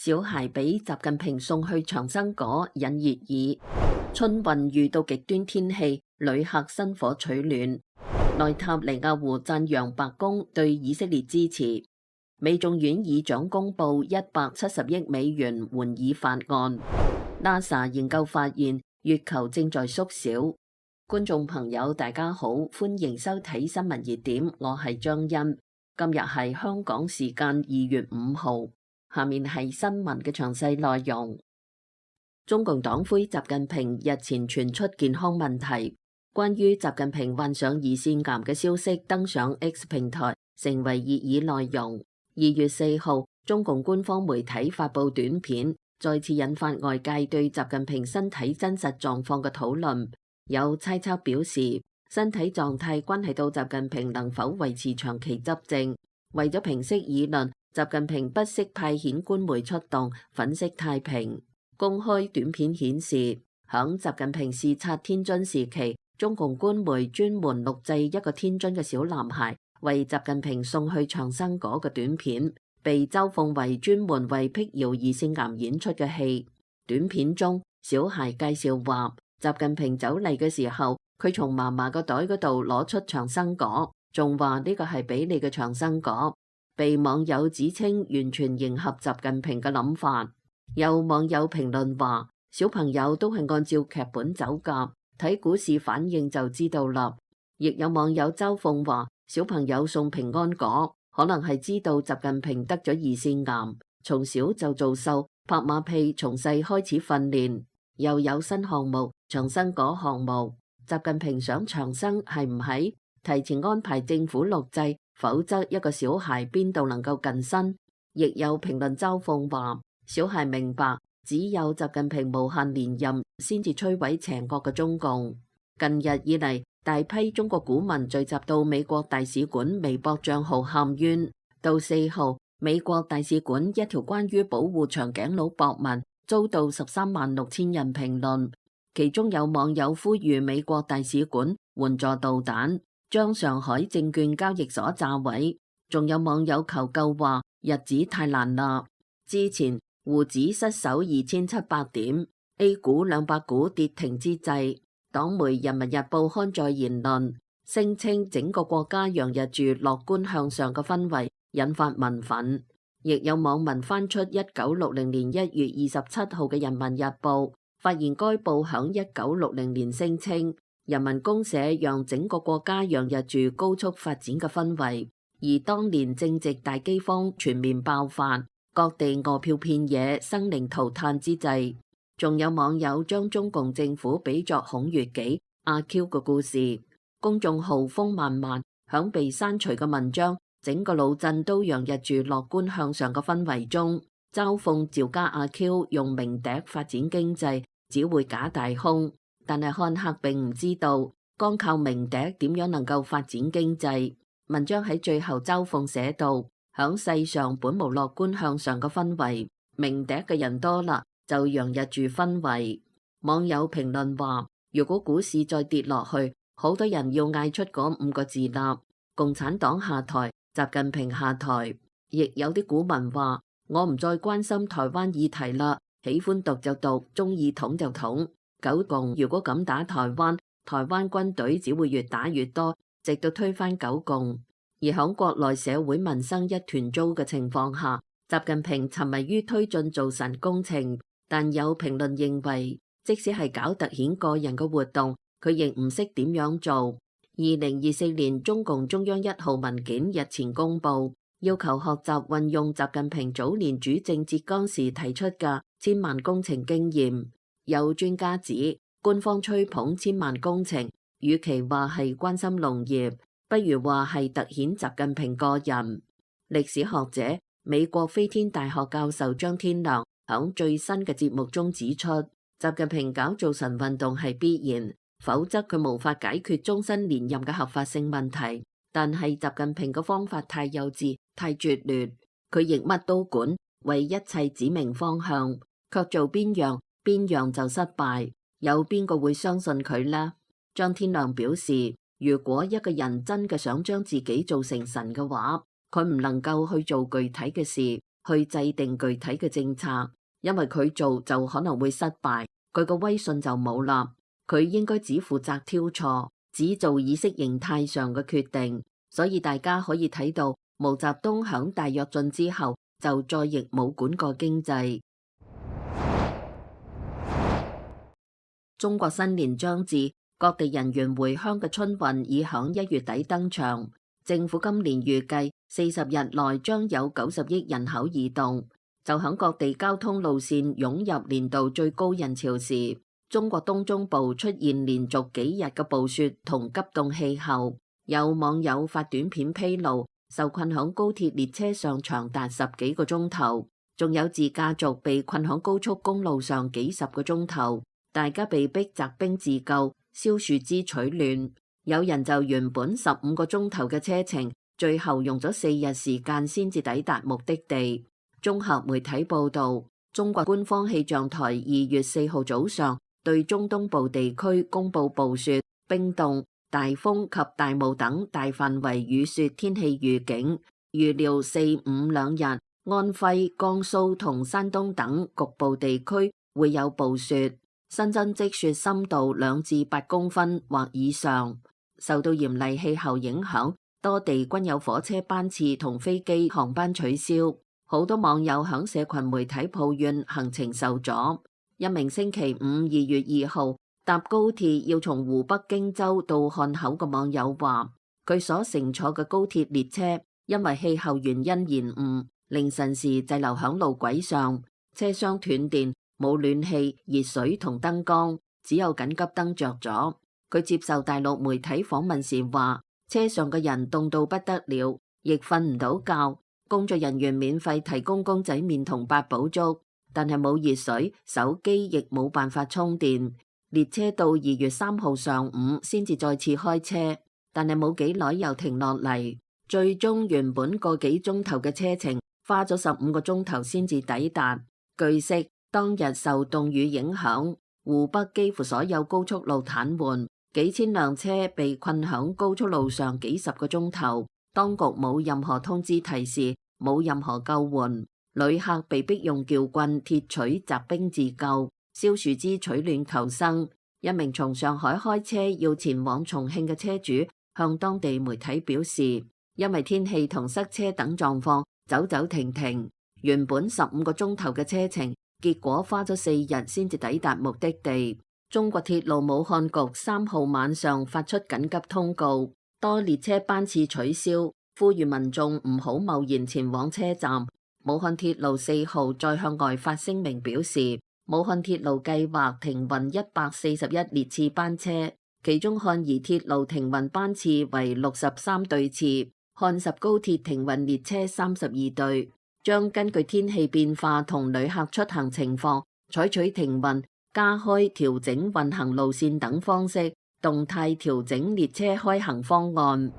小孩俾習近平送去長生果引熱議。春運遇到極端天氣，旅客生火取暖。內塔尼亞胡讚揚白宮對以色列支持。美眾院議長公布170億美元援以法案。NASA 研究發現月球正在縮小。觀眾朋友大家好，歡迎收睇新聞熱點，我係張欣。今日係香港時間2月5號，下面係新聞嘅詳細內容。中共黨魁習近平日前傳出健康問題，關於習近平患上胰腺癌嘅消息登上 X 平台，成為熱議內容。2月4號，中共官方媒體發布短片，再次引發外界對習近平身體真實狀況嘅討論。有猜測表示，身體狀態關係到習近平能否維持長期執政。為咗平息議論，習近平不惜派遣官媒出動，粉飾太平。公開短片顯示，響習近平視察天津時期，中共官媒專門錄製一個天津嘅小男孩為習近平送去長生果嘅短片，被嘲諷為專門為辟謠胰腺癌演出嘅戲。短片中，小孩介紹話，習近平走嚟嘅時候，佢從嫲嫲個袋嗰度攞出長生果，仲話呢個係俾你嘅長生果，被網友指稱完全迎合習近平嘅諗法。有網友評論話，小朋友都係按照劇本走㗎，睇股市反應就知道啦。亦有網友嘲諷話，小朋友送平安果，可能係知道習近平得咗胰腺癌，從小就做秀拍馬屁，從細開始訓練。又有新項目長生果項目，習近平想長生係唔係？提前安排政府錄製，否則一個小孩邊度能夠近身？亦有評論嘲諷話，小孩明白只有習近平無限連任先至摧毀邪惡嘅中共。近日以嚟，大批中國股民聚集到美國大使館微博賬號喊冤。到4號，美國大使館一條關於保護長頸鹿博文遭到136000人評論，其中有網友呼籲美國大使館援助導彈，將上海證券交易所炸毀。仲有網友求救話，日子太難啦。之前滬指失守2700點，A 股200股跌停之際，黨媒《人民日報》刊載言論，聲稱整個國家洋溢住樂觀向上嘅氛圍，引發民憤。亦有網民翻出1960年1月27號嘅《人民日報》，發現該報響1960年聲稱人民公社讓整個國家洋溢住高速發展嘅氛圍，而當年正值大饑荒全面爆發，各地餓殍遍野，生靈塗炭之際。仲有網友將中共政府比作孔乙己、阿 Q 嘅故事。公眾號風漫漫響被刪除嘅文章，整個腦震都洋溢住樂觀向上嘅氛圍中，嘲諷趙家阿 Q 用明笛發展經濟只會假大空。但係看客並唔知道，光靠明笛點樣能夠發展經濟。文章喺最後嘲諷寫道，響世上本無樂觀向上嘅氛圍，明笛嘅人多啦，就洋溢住氛圍。網友評論話，如果股市再跌落去，好多人要嗌出嗰5個字啦，共產黨下台，習近平下台。亦有啲股民話，我唔再關心台灣議題啦，喜歡讀就讀，中意統就統。九共如果咁打台灣，台灣軍隊只會越打越多，直到推翻九共。而響國內社會民生一團糟嘅情況下，習近平沉迷於推進造神工程。但有評論認為，即使係搞凸顯個人嘅活動，佢亦唔識點樣做。2024年中共中央1號文件日前公布，要求學習運用習近平早年主政浙江時提出嘅千萬工程經驗。有專家指，官方吹捧千萬工程，與其話係關心農業，不如話係凸顯習近平個人。歷史學者、美國飛天大學教授張天良響最新嘅節目中指出，習近平搞造神運動係必然，否則佢無法解決終身連任嘅合法性問題。但係習近平嘅方法太幼稚、太拙劣，佢亦乜都管，為一切指明方向，卻做邊樣就失敗。有邊個會相信佢呢？張天良表示，如果一個人真嘅想將自己做成神嘅話，佢唔能夠去做具體嘅事，去制定具體嘅政策，因為佢做就可能會失敗，佢個威信就冇啦。佢應該只負責挑錯，只做意識形態上嘅決定。所以大家可以睇到，毛澤東響大躍進之後就再亦冇管過經濟。中國新年將至，各地人員回鄉嘅春運已響1月底登場。政府今年預計40日內將有90億人口移動。就響各地交通路線湧入年度最高人潮時，中國東中部出現連續幾日嘅暴雪同急凍氣候。有網友發短片披露，受困響高鐵列車上長達10幾個鐘頭，仲有自駕族被困響高速公路上幾十個鐘頭，大家被逼擇兵自救，燒樹枝取暖。有人就原本15個鐘頭嘅車程，最後用咗4日時間先至抵達目的地。綜合媒體報道，中國官方氣象台2月4號早上對中東部地區公布暴雪、冰凍、大風及大霧等大範圍雨雪天氣預警，預料4、5兩日，安徽、江蘇同山東等局部地區會有暴雪，新增積雪深度2至8公分或以上。受到嚴厲氣候影響，多地均有火車班次同飛機航班取消。好多網友響社群媒體抱怨行程受阻。一名星期五2月2號搭高鐵要從湖北荊州到漢口嘅網友話，佢所乘坐嘅高鐵列車因為氣候原因延誤，凌晨時滯留響路軌上，車廂斷電，冇暖氣、熱水同燈光，只有緊急燈着咗。佢接受大陸媒體訪問時話，車上嘅人凍到不得了，亦瞓唔到覺。工作人員免費提供公仔麵同八寶粥，但係冇熱水，手機亦冇辦法充電。列車到2月3號上午先至再次開車，但係冇幾耐又停落嚟。最終原本個幾鐘頭嘅車程，花咗15個鐘頭先至抵達。據悉，當日受凍雨影響，湖北幾乎所有高速路癱瘓，幾千輛車被困響高速路上幾十個鐘頭。當局冇任何通知提示，冇任何救援，旅客被逼用撬棍、鐵錘擇兵自救，燒樹枝取暖求生。一名從上海開車要前往重慶嘅車主向當地媒體表示，因為天氣同塞車等狀況，走走停停，原本15個鐘頭嘅車程，結果花咗4日先至抵達目的地。中國鐵路武漢局3號晚上發出緊急通告，多列車班次取消，呼籲民眾唔好貿然前往車站。武漢鐵路4號再向外發聲明表示，武漢鐵路計劃停運141列次班車，其中漢宜鐵路停運班次為63對次，漢十高鐵停運列車32對，將根據天氣變化同旅客出行情況，採取停運、加開、調整運行路線等方式，動態調整列車開行方案。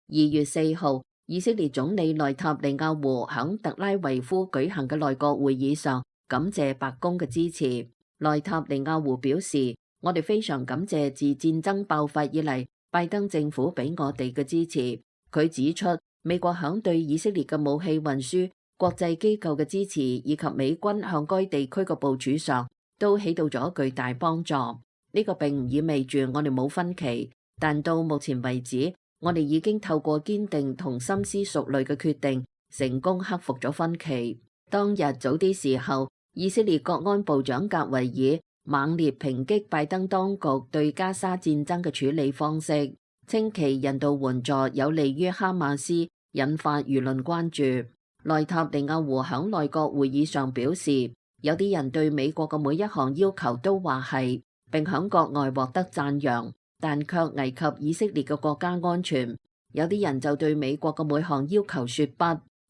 2月4號，以色列總理內塔尼亞胡響特拉維夫舉行嘅內閣會議上，感謝白宮嘅支持。內塔尼亞胡表示，我哋非常感謝自戰爭爆發以嚟，拜登政府俾我哋嘅支持。佢指出，美國響對以色列嘅武器運輸、國際機構嘅支持以及美軍向該地區嘅部署上，都起到咗巨大幫助。呢個並唔意味住我哋冇分歧，但到目前為止，我哋已經透過堅定同深思熟慮嘅決定，成功克服咗分歧。當日早啲時候，以色列國安部長格維爾猛烈抨擊拜登當局對加沙戰爭嘅處理方式，稱其人道援助有利於哈馬斯，引發輿論關注。內塔尼亞胡響內閣會議上表示，有啲人對美國嘅每一項要求都話係，並響國外獲得讚揚，但卻危及以色列嘅國家安全。有啲人就對美國嘅每項要求說不，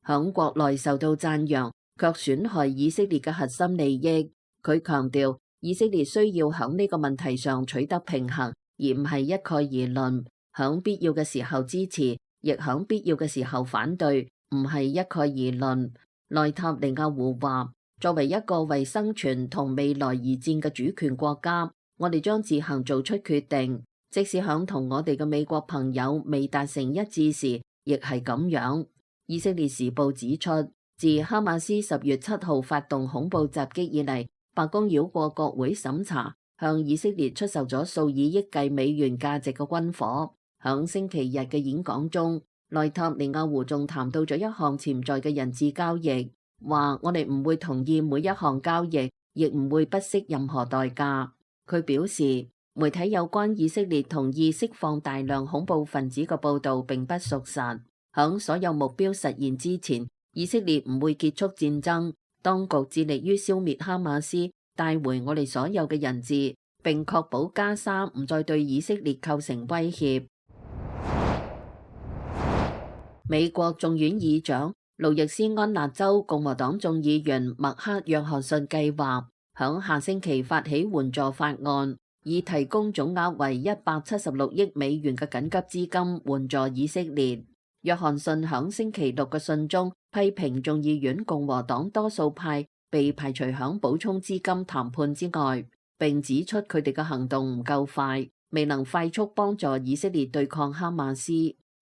響國內受到讚揚，卻損害以色列嘅核心利益。佢強調，以色列需要響呢個問題上取得平衡，而唔係一概而論。響必要嘅時候支持，亦響必要嘅時候反對，唔係一概而論。內塔尼亞胡話，作為一個為生存同未來而戰嘅主權國家，我哋將自行做出決定，即使響同我哋嘅美國朋友未達成一致時，亦係咁樣。以色列時報指出，自哈馬斯10月7號發動恐怖襲擊以嚟，白宮繞過國會審查，向以色列出售咗數以億計美元價值嘅軍火。響星期日嘅演講中，內塔尼亞胡仲談到咗一項潛在嘅人質交易，話我哋唔會同意每一項交易，亦唔會不惜任何代價。佢表示，媒體有關以色列同意釋放大量恐怖分子嘅報導並不屬實。響所有目標實現之前，以色列唔會結束戰爭。當局致力於消滅哈馬斯，帶回我哋所有嘅人質，並確保加沙唔再對以色列構成威脅。美國眾院議長路易斯安那州共和黨眾議員麥克約翰遜計劃響下星期發起援助法案，以提供總額為176億美元嘅緊急資金援助以色列。約翰遜響星期六嘅信中批評眾議院共和黨多數派被排除響補充資金談判之外，並指出佢哋嘅行動唔夠快，未能快速幫助以色列對抗哈馬斯。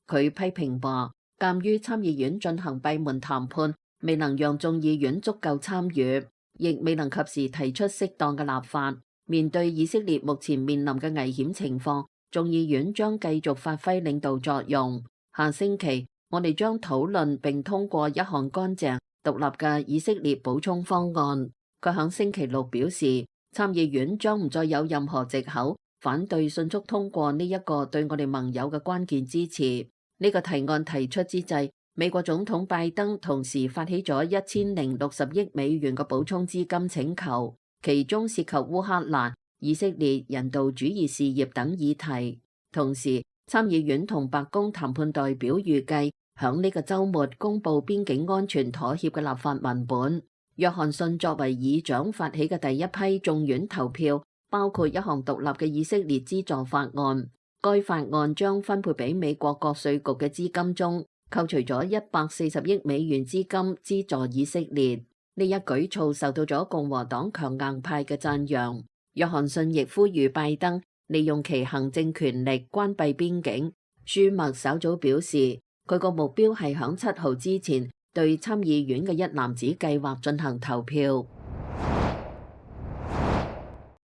佢批評話，鑑於參議院進行閉門談判，未能讓眾議院足夠參與，亦未能及時提出適當嘅立法。面對以色列目前面臨嘅危險情況，眾議院將繼續發揮領導作用。下星期，我哋將討論並通過一項乾淨獨立嘅以色列補充方案。佢響星期六表示，參議院將唔再有任何藉口反對迅速通過呢一個對我哋盟友嘅關鍵支持。呢個提案提出之際，美國總統拜登同時發起咗1060億美元嘅補充資金請求，其中涉及烏克蘭、以色列人道主義事業等議題。同時，參議院同白宮談判代表預計響呢個週末公布邊境安全妥協嘅立法文本。約翰遜作為議長發起嘅第一批眾院投票，包括一項獨立嘅以色列資助法案。該法案將分配俾美國國稅局嘅資金中扣除咗140億美元資金資助以色列。呢一舉措受到咗共和黨強硬派嘅讚揚。約翰遜亦呼籲拜登利用其行政權力關閉邊境。舒默稍早表示，佢個目標係響7號之前對參議院嘅一籃子計劃進行投票。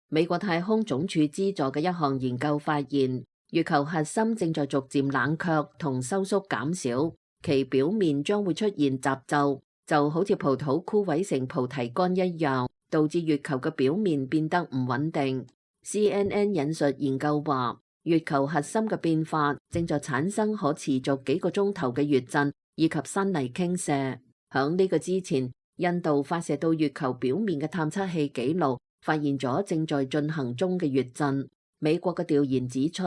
美國太空總署資助嘅一項研究發現，月球核心正在逐漸冷卻同收縮減少，其表面將會出現褶皺，就好似葡萄枯萎成菩提乾一樣，導致月球嘅表面變得唔穩定。CNN 引述研究話，月球核心嘅變化正在產生可持續幾個鐘頭嘅月震以及山泥傾瀉。響呢個之前，印度發射到月球表面嘅探測器記錄發現咗正在進行中嘅月震。美國嘅調研指出，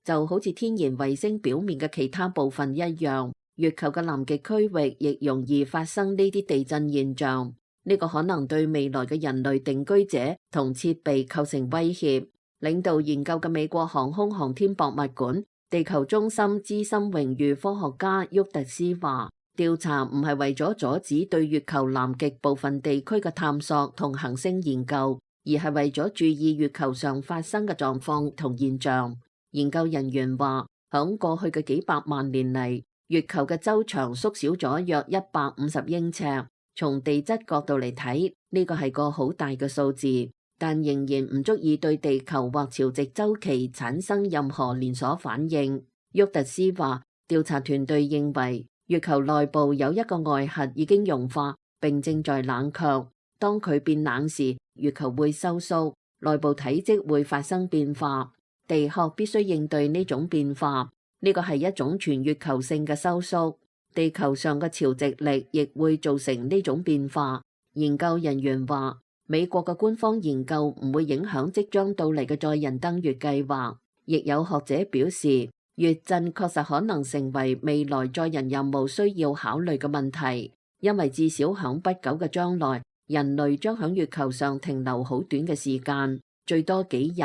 就好似天然衛星表面嘅其他部分一樣，月球嘅南極區域亦容易發生呢啲地震現象。呢個可能對未來嘅人類定居者同設備構成威脅。領導研究嘅美國航空航天博物館地球中心資深榮譽科學家沃特斯話，調查唔係為咗阻止對月球南極部分地區嘅探索同行星研究，而係為咗注意月球上發生嘅狀況同現象。研究人員話，響過去嘅幾百萬年嚟，月球嘅周長縮小咗約150英尺。從地質角度嚟睇，呢個係個好大嘅數字，但仍然唔足以對地球或潮汐周期產生任何連鎖反應。沃特斯話，調查團隊認為月球內部有一個外核已經融化並正在冷卻，當佢變冷時，月球會收縮，內部體積會發生變化。地殼必須應對呢種變化，呢個係一種全月球性嘅收縮。地球上嘅潮汐力亦會造成呢種變化。研究人員話，美國嘅官方研究唔會影響即將到嚟嘅載人登月計劃。亦有學者表示，月震確實可能成為未來載人任務需要考慮嘅問題，因為至少響不久嘅將來，人類將響月球上停留好短嘅時間，最多幾日。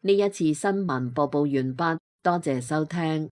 呢一次新聞播報完畢，多謝收聽。